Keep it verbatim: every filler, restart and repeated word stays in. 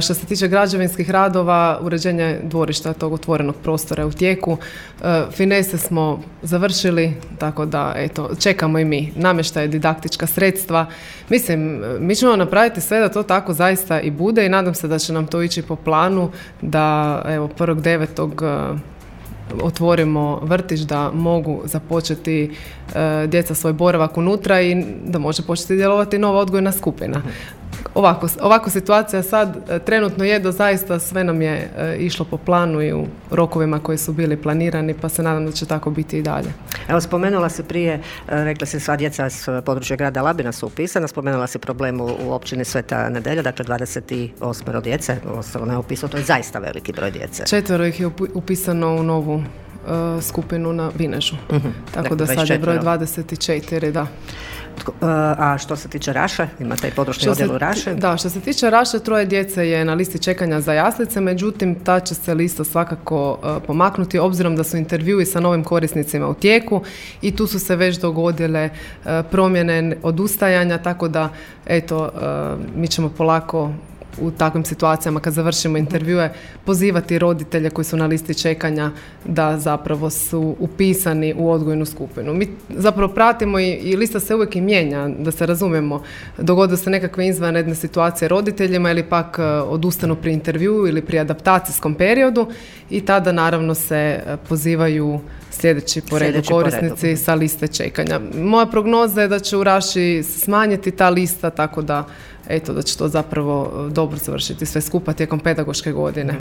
Što se tiče građevinskih radova, uređenje dvorišta tog otvorenog prostora je u tijeku. Finese smo završili, tako da eto, čekamo i mi namještaj, didaktička sredstva. Mislim, mi ćemo napraviti sve da to tako zaista i bude i nadam se da će nam to ići po planu da evo prvog devetog otvorimo vrtić, da mogu započeti e, djeca svoj boravak unutra i da može početi djelovati nova odgojna skupina. Ovako, ovako situacija sad e, trenutno je da zaista sve nam je e, išlo po planu i u rokovima koji su bili planirani, pa se nadam da će tako biti i dalje. Evo, spomenula se prije, rekla se sva djeca s područja grada Labina su upisana, spomenula se problem u, u općini Sveta Nedelja, dakle dvadeset osam djece, ostalo ne upisano, to je zaista veliki broj djece. Četvero ih je upisano u novu uh, skupinu na Vinežu, uh-huh. tako dakle, da sad je broj dvadeset četiri, da. A što se tiče Raše, imate i područni odjel u Raše? Da, što se tiče Raše, troje djece je na listi čekanja za jaslice, međutim ta će se lista svakako uh, pomaknuti obzirom da su intervjui sa novim korisnicima u tijeku i tu su se već dogodile uh, promjene odustajanja, tako da eto, uh, mi ćemo polako u takvim situacijama kad završimo intervjue pozivati roditelje koji su na listi čekanja da zapravo su upisani u odgojnu skupinu. Mi zapravo pratimo i, i lista se uvijek i mijenja, da se razumijemo. Dogode se nekakve izvanredne situacije roditeljima ili pak odustanu pri intervjuu ili pri adaptacijskom periodu i tada naravno se pozivaju sljedeći po redu korisnici po sa liste čekanja. Moja prognoza je da će u Raši smanjiti ta lista, tako da eto, da će to zapravo dobro završiti sve skupa tijekom pedagoške godine.